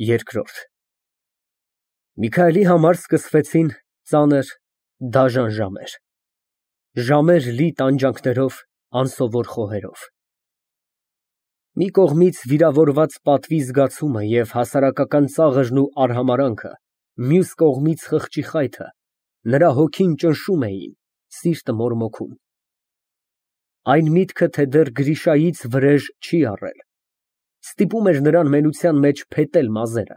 Երկրորդ Միքայելի համար սկսվեցին ծանր, դաժան ժամեր, ժամեր լի տանջանքներով, անսովոր խոհերով։ Մի կողմից վիրավորված պատվի զգացումը և հասարակական ծաղրն ու արհամարհանքը, մյուս կողմից խղճի խայթը նրա հոգին ճնշում էին, սիրտը մորմոքում։ Այն միտքը, թե դեռ Գրիշայից վրեժ չի առել, ստիպում էր նրան մենության մեջ փետել մազերը,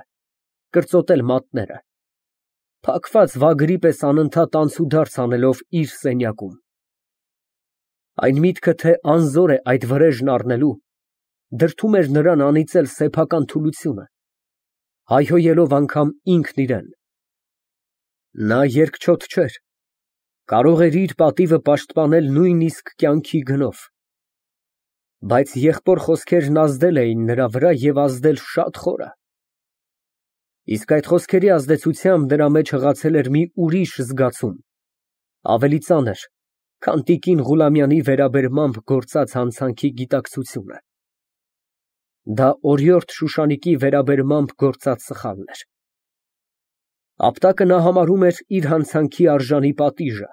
կրծոտել մատները, փակված վագրի պես անընդհատ անցուդարձ անելով իր սենյակում։ Այն միտքը, թե անզոր է այդ վրեժն առնելու, դրդում էր նրան անիծել սեփական թուլությունը, հայհոյելով անգամ ինքն իրան։ Նա երկչոտ չէր, կարող էր իր պատիվը պաշտպանել նույնիսկ կյանքի գնով, բայց եղբոր խոսքերն ազդել էին նրա վրա և ազդել շատ խորը։ Իսկ այդ խոսքերի ազդեցությամբ նրա մեջ հղացել էր մի ուրիշ զգացում, ավելի ծանր, քան տիկին Ղուլամյանի վերաբերմամբ գործած հանցանքի գիտակցությունը։ Դա օրիորդ Շուշանիկի վերաբերմամբ գործած սխալն էր։ Ապտակը նա համարում էր իր հանցանքի արժանի պատիժը,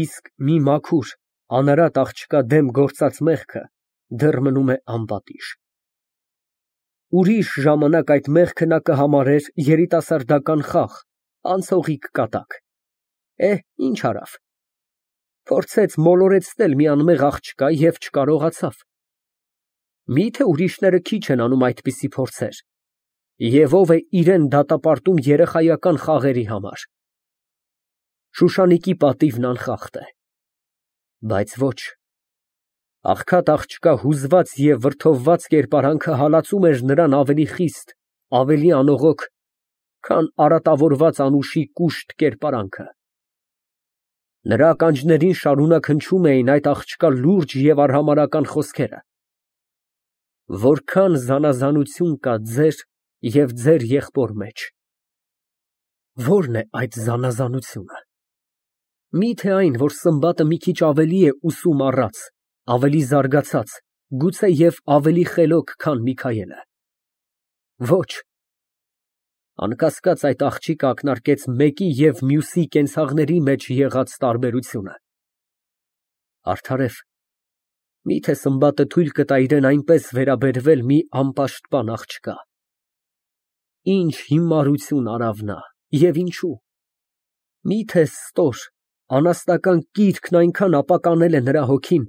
իսկ մի մաքուր, անարատ աղջկա դեմ գործած մեղքը դեռ մնում է անպատիժ։ Ուրիշ ժամանակ այդ մեղքը նա կհամարեր երիտասարդական խաղ, անցողիկ կատակ։ Ինչ արավ, փորձեց մոլորեցնել մի անմեղ աղջկա և չկարողացավ։ Մի՞թե ուրիշները քիչ են անում այդպիսի փորձեր, և ով է իրան դատապարտում երեխայական խաղերի համար։ Շուշանիկի պատիվն անխախտ է, բայց ոչ, աղքատ աղջկա հուզված և վրդովված կերպարանքը հալածում էր նրան ավելի խիստ, ավելի անողոք, քան արատավորված անուշի կուշտ կերպարանքը։ Նրա ականջներին շարունակ հնչում էին այդ աղջկա լուրջ և արհամարհական խոսքերը. «Որքան զանազանություն կա ձեր և ձեր եղբոր մեջ»։ Ո՞րն է այդ զանազանությունը։ Մի՞թե այն, որ Սմբատը մի քիչ ավելի է ուսում առած, ավելի զարգացած, գուցե և ավելի խելոք, քան Միքայելը։ Ոչ, անկասկած, այդ աղջիկը ակնարկեց մեկի և մյուսի կենցաղների մեջ եղած տարբերությունը։ Արդարև, մի՞թե Սմբատը թույլ կտա իրան այնպես վերաբերվել մի անպաշտպան աղջկա։ Ինչ հիմարություն արավ նա, և ինչու։ Մի՞թե ստոր, անաստական կիրքն այնքան ապականել է նրա հոգին,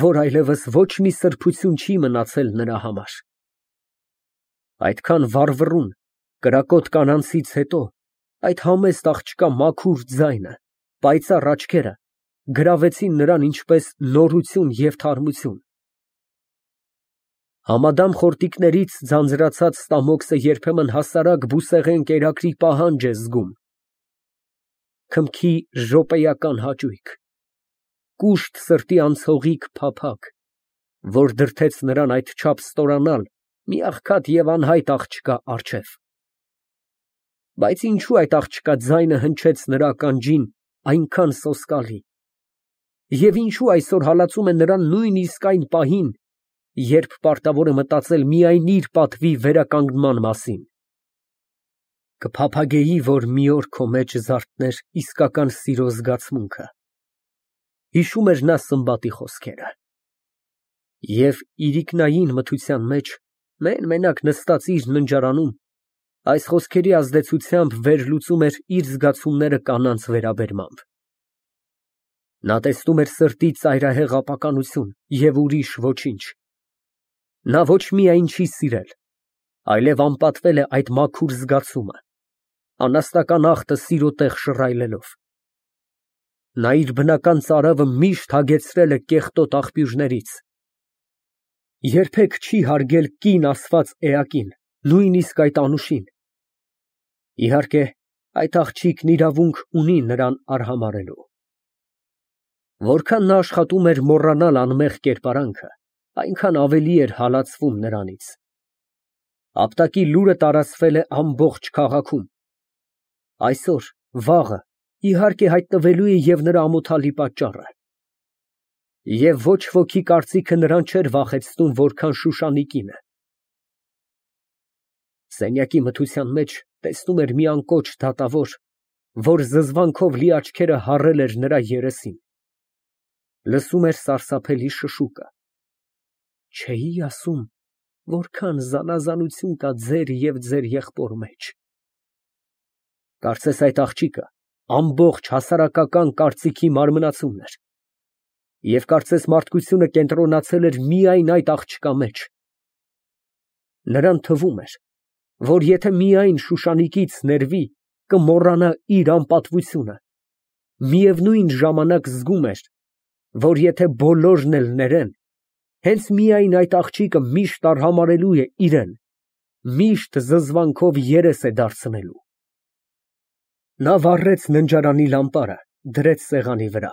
որ այլևս ոչ մի սրբություն չի մնացել նրա համար։ Այդքան վառվռուն, կրակոտ կանանցից հետո այդ համեստ աղջկա մաքուր ձայնը, պայծառ աչքերը գրավեցին նրան ինչպես նորություն և թարմություն։ Համադամ խորտիկներից ձանձրացած ստամոքսը երբեմն հասարակ բուսեղեն կերակրի պահանջ է զգում, քմքի րոպեական հաճույք, կուշտ սրտի անցողիկ փափագ, որ դրդեց նրան այդչափ ստորանալ մի աղքատ և անհայտ աղջկա առջև։ Բայց ինչո՞ւ այդ աղջկա ձայնը հնչեց նրա ականջին այնքան սոսկալի, և ինչո՞ւ այսօր հալածում է նրան նույնիսկ այն պահին, երբ պարտավոր է մտածել միայն իր պատվի վերականգնման մասին։ Կփափագեի, որ մի օր քո մեջ զարթներ իսկական սիրո զգացմունքը, հիշում էր նա Սմբատի խոսքերը։ Եվ իրիկնային մթության մեջ, մեն֊մենակ նստած իր ննջարանում, այս խոսքերի ազդեցությամբ վերլուծում էր իր զգացումները կանանց վերաբերմամբ։ Նա տեսնում էր սրտի ծայրահեղ ապականություն և ուրիշ ոչինչ։ Նա ոչ միայն չի սիրել, այլև անպատվել է այդ մաքուր զգացումը, անաստական ախտը սիրո տեղ շռայլելով։ Նա իր բնական ծարավը միշտ հագեցրել է կեղտոտ աղբյուրներից։ Երբեք չի հարգել կին ասված էակին, նույնիսկ այդ անուշին։ Իհարկե, այդ աղջիկն իրավունք ունի նրան արհամարհելու։ Որքան նա աշխատում էր մոռանալ անմեղ կերպարանքը, այնքան ավելի էր հալածվում նրանից։ Ապտակի լուրը տարածվել է ամբողջ քաղաքում։ Այսօր, վաղը, իհարկե, հայտնվելու է և նրա ամոթալի պատճառը։ Եվ ոչ ոքի կարծիքը նրան չէր վախեցնում, որքան Շուշանիկինը։ Սենյակի մթության մեջ տեսնում էր մի անկոչ դատավոր, որ զզվանքով լի աչքերը հառել էր նրա երեսին, լսում էր սարսափելի շշուկը։ Չէի ասում, որքան զանազանություն կա ձեր և ձեր եղբոր մեջ։ Կարծես այդ աղջիկը ամբողջ հասարակական կարծիքի մարմնացումն էր, և կարծես մարդկությունը կենտրոնացել էր միայն այդ աղջկա մեջ։ Նրան թվում էր, որ եթե միայն Շուշանիկից ներվի, կմոռանա իր անպատվությունը, միևնույն ժամանակ զգում էր, որ եթե բոլորն էլ ներեն, հենց միայն այդ աղջիկը միշտ արհամարհելու է իրան, միշտ զզվանքով երես է դարձնելու։ Նա վառեց ննջարանի լամպարը, դրեց սեղանի վրա։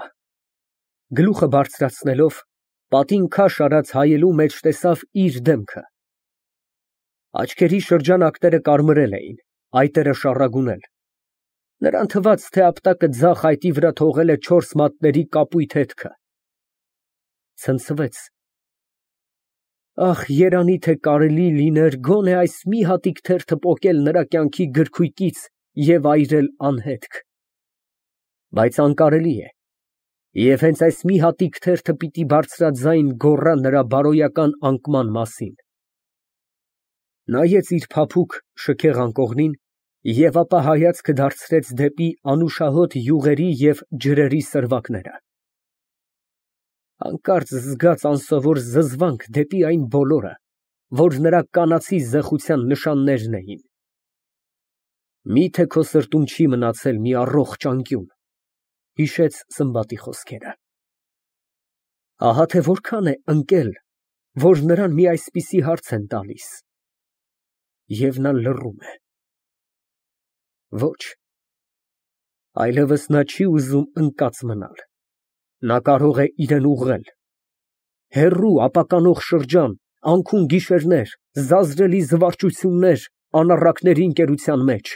Գլուխը բարձրացնելով, պատին քաշ արած հայելու մեջ տեսավ իր դեմքը։ Աչքերի շրջանակները կարմրել էին, այտերը շառագունել։ Նրան թվաց, թե ապտակը ձախ այտի վրա թողել է 4 մատների կապույտ հետքը։ Ցնցվեց։ Ախ, երանի թե կարելի լիներ գոնե այս մի հատիկ թերթը պոկել նրա կյանքի գրքույկից և այրել անհետք։ Բայց անկարելի է, և հենց այս մի հատիկ թերթը պիտի բարձրաձայն գոռա նրա բարոյական անկման մասին։ Նայեց իր փափուկ շքեղ անկողնին և ապա հայացքը դարձրեց դեպի անուշահոտ յուղերի և ջրերի սրվակները։ Հանկարծ զգաց անսովոր զզվանք դեպի այն բոլորը, որ նրա կանացի զեխության նշաններն էին։ Մի՞թե քո սրտում չի մնացել մի առողջ անկյուն, հիշեց Սմբատի խոսքերը։ Ահա թե որքան է ընկել, որ նրան մի այսպիսի հարց են տալիս։ Եվ նա լռում է։ Ոչ, այլևս նա չի ուզում ընկած մնալ։ Նա կարող է իրան ուղղել։ Հեռու ապականող շրջան, անքուն գիշերներ, զազրելի զվարճություններ անառակների ընկերության մեջ։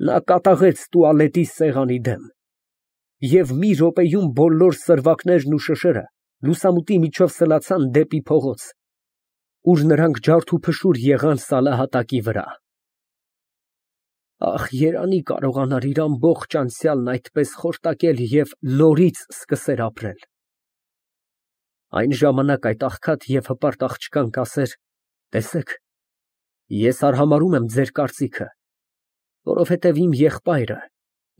Նա կատաղեց տուալետի սեղանի դեմ, և մի րոպեում բոլոր սրվակներն ու շշերը լուսամուտի միջով սլացան դեպի փողոց, ուր նրանք ջարդուփշուր եղան սալահատակի վրա։ Ախ, երանի կարողանար իր ամբողջ անցյալն այդպես խորտակել և նորից սկսեր ապրել։ Այն ժամանակ այդ աղքատ և հպարտ աղջկան կասեր. «Տեսեք, ես արհամարհում եմ ձեր կարծիքը, որովհետև իմ եղբայրը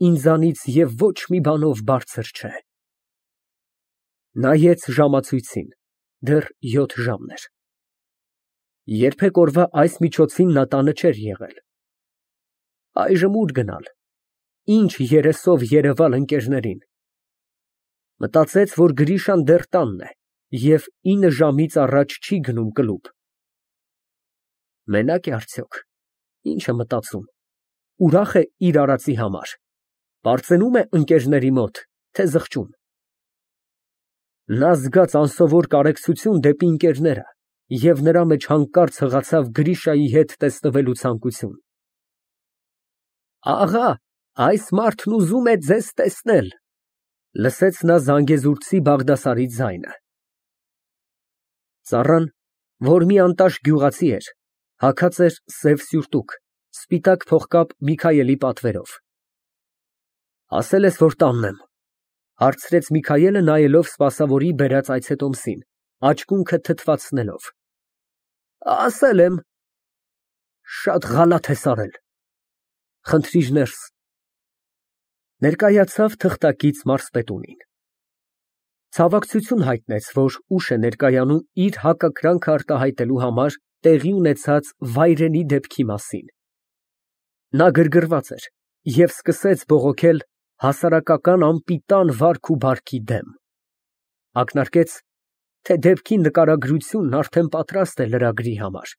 ինձանից և ոչ մի բանով բարձր չէ»։ Նայեց ժամացույցին, դեռ 7 ժամն էր։ Երբեք օրվա այս միջոցին նա տանը չէր եղել։ Այժմ ուր գնալ, ինչ երեսով երևալ ընկերներին։ Մտածեց, որ Գրիշան դեռ տանն է և 9 ժամից առաջ չի գնում կլուբ։ Մենա՞կ է արդյոք, ինչ է մտածում, ուրախ է իր արածի համար, պարծենում է ընկերների մոտ, թե զղջում։ Նա զգաց անսովոր կարեկցություն դեպի ընկերները և նրա մեջ հանկարծ հղացավ Գրիշայի հետ տեսնվելու ցանկություն։ Աղա, այս մարդն ուզում է ձեզ տեսնել, լսեց նա զանգեզուրցի Բաղդասարի ձայնը։ Ծառան, որ մի անտաշ գյուղացի էր, հագած էր սև սյուրտուկ, սպիտակ փողկապ Միքայելի պատվերով։ Ասել ես, որ տանն եմ, հարցրեց Միքայելը, նայելով սպասավորի բերած այցետոմսին, աչքունքը թթվածնելով։ Ասել եմ։ Շատ ղալաթ ես արել։ Խնդրիր ներս։ Ներկայացավ թղթակից մարզպետունին։ Ցավակցություն հայտնեց, որ ուշ է ներկայանում իր հակակրանքը արտահայտելու համար տեղի ունեցած վայրենի դեպքի մասին։ Նա գրգռված էր և սկսեց բողոքել հասարակական անպիտան վարք ու բարքի դեմ։ Ակնարկեց, թե դեպքի նկարագրությունն արդեն պատրաստ է լրագրի համար։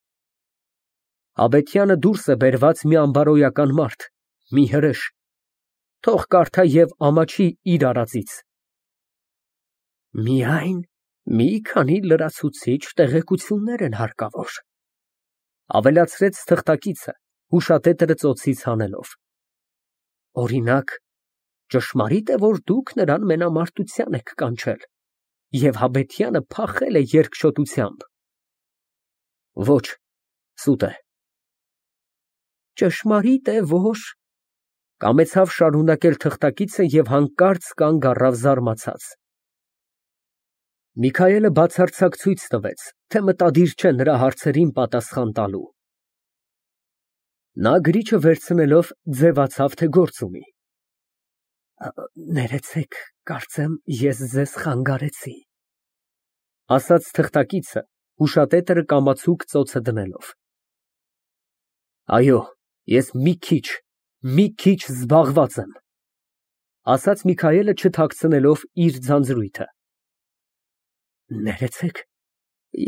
Աբեթյանը դուրս է բերված մի անբարոյական մարդ, մի հրեշ, թող կարդա և ամաչի իր արածից։ Միայն մի քանի լրացուցիչ տեղեկություններ են հարկավոր, ավելացրեց թղթակիցը, հուշատետրը ծոցից հանելով։ Օրինակ, ճշմարիտ է, որ դուք նրան մենամարտության եք կանչել և Հաբեթյանը փախել է երկչոտությամբ։ Ոչ, սուտ է, Ճշմարիտ է, որ… Կամեցավ շարունակել թղթակիցը և հանկարծ կանգ առավ զարմացած։ Միքայելը բացարձակ ցույց տվեց, թե մտադիր չէ նրա հարցերին պատասխան տալու։ Նա գրիչը վերցնելով ձևացավ, թե գործ ունի։ Ներեցեք, կարծեմ ես ձեզ խանգարեցի, ասաց թղթակիցը, հուշատետրը կամացուկ ծոցը դնելով։ Այո, ես մի քիչ զբաղված եմ, ասաց Միքայելը չթաքցնելով իր ձանձրույթը։ Ներեցեք,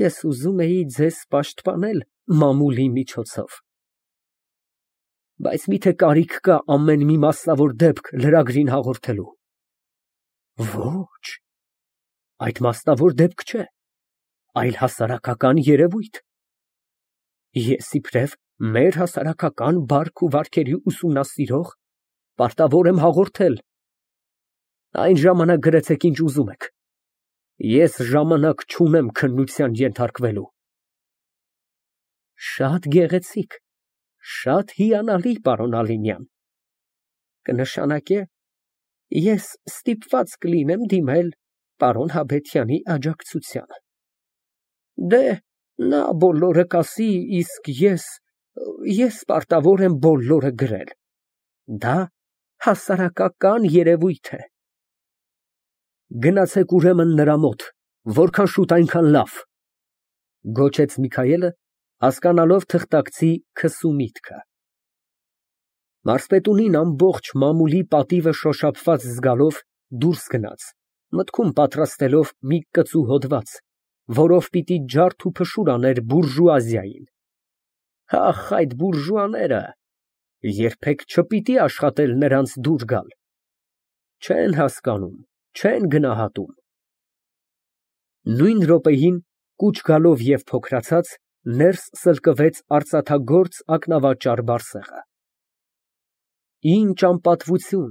ես ուզում էի ձեզ պաշտպանել մամուլի միջոցով։ Բայց միթե կարիք կա ամեն մի մասնավոր դեպք լրագրին հաղորդելու։ Ոչ, այդ մասնավոր դեպք չէ, այլ հասարակական երևույթ։ Ես իբրև մեր հասարակական բարք ու վարքերի ուսումնասիրող պարտավոր եմ հաղորդել։ Այն ժամանակ գրեցեք ինչ ուզում եք։ Ես ժամանակ չունեմ քննության ենթարկվելու։ Շատ գեղեցիկ, շատ հիանալի, պարոն Ալինյան։ Կնշանակե, ես ստիպված կլինեմ դիմել պարոն Հաբետյանի աջակցությանը։ Դե, նա բոլորը կասի, իսկ ես պարտավոր եմ բոլորը գրել։ Դա հասարակական երևույթ է։ Գնացեք ուրեմն նրա մոտ, որքան շուտ այնքան լավ, գոչեց Միքայելը, հասկանալով թղթակցի քսու միտքը։ Մարզպետունին ամբողջ մամուլի պատիվը շոշափված զգալով դուրս գնաց, մտքում պատրաստելով մի կծու հոդված, որով պիտի ջարդ ու փշուր աներ բուրժուազիային։ Ախ, այդ բուրժուաները երբեք չպիտի աշխատել նրանց դուր գալ։ Չեն հասկանում, չեն գնահատում։ Նույն րոպեին, կուչ գալով և փոքրացած, ներս սլկվեց արծաթագործ ակնավաճառ Բարսեղը։ Ինչ անպատվություն,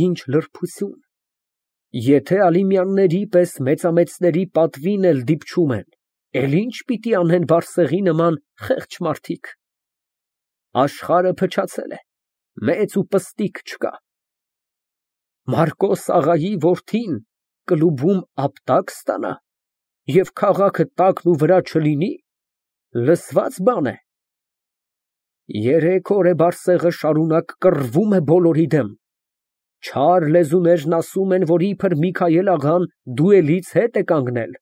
ինչ լրբություն։ Եթե Ալիմյանների պես մեծամեծների պատվին էլ դիպչում են, էլ ինչ պիտի անեն Բարսեղի նման խեղճ մարդիկ։ Աշխարհը փչացել է, մեծ ու պստիկ չկա։ Մարկոս աղայի որդին կլուբում ապտակ ստանա և քաղաքը տակն ու վրա չլինի, լսված բան է։ Երեք օր է Բարսեղը շարունակ կռվում է բոլորի դեմ։ Չար լեզուներն ասում են, որ իբր Միքայել աղան դուելից հետ է կանգնել։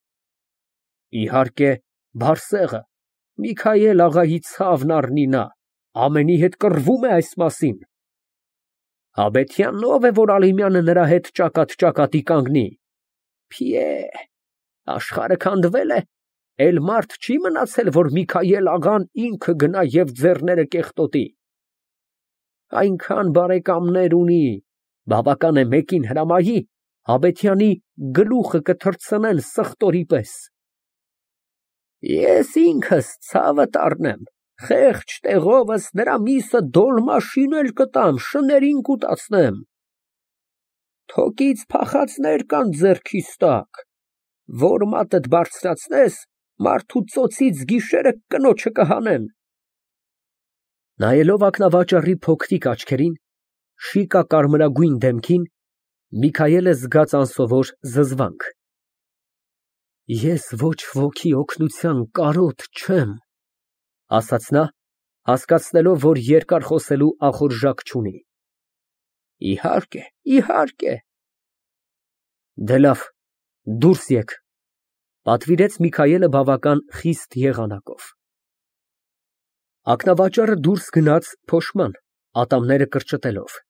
Իհարկե, Բարսեղը, Միքայել աղայի ցավն առնի նա, ամենի հետ կռվում է այս մասին։ Հաբետյանն ով է, որ Ալիմյանը նրա հետ ճակատ կանգնի։ Փիե, աշխարհը քանդվել է, էլ մարդ չի մնացել, որ Միքայել աղան ինքը գնա և ձեռները կեղտոտի։ Այնքան բարեկամներ ունի, բավական է մեկին հրամայի, Հաբետյանի գլուխը կթռցնեն սխտորի պես։ Ես ինքս ցավդ առնեմ, խեղճ տեղովս նրա միսը դոլմաշին էլ կտամ, շներին կուտացնեմ։ Թոկից փախածներ կան ձեռքիս տակ, որ մատդ բարձրացնես, մարդու ծոցից գիշերը կնոջը կհանեն։ Նայելով ակնավաճառի փոքրիկ աչքերին, շիկա կարմրագույն դեմքին, Միքայելը զգաց անսովոր զզվանք։ Ես ոչ ոքի օգնության կարոտ չեմ, ասաց նա, հասկացնելով, որ երկար խոսելու ախորժակ չունի։ Իհարկե, իհարկե։ Դե լավ, դուրս եկ, պատվիրեց Միքայելը բավական խիստ եղանակով։ Ակնավաճառը դուրս գնաց փոշման, ատամները կրճտելով։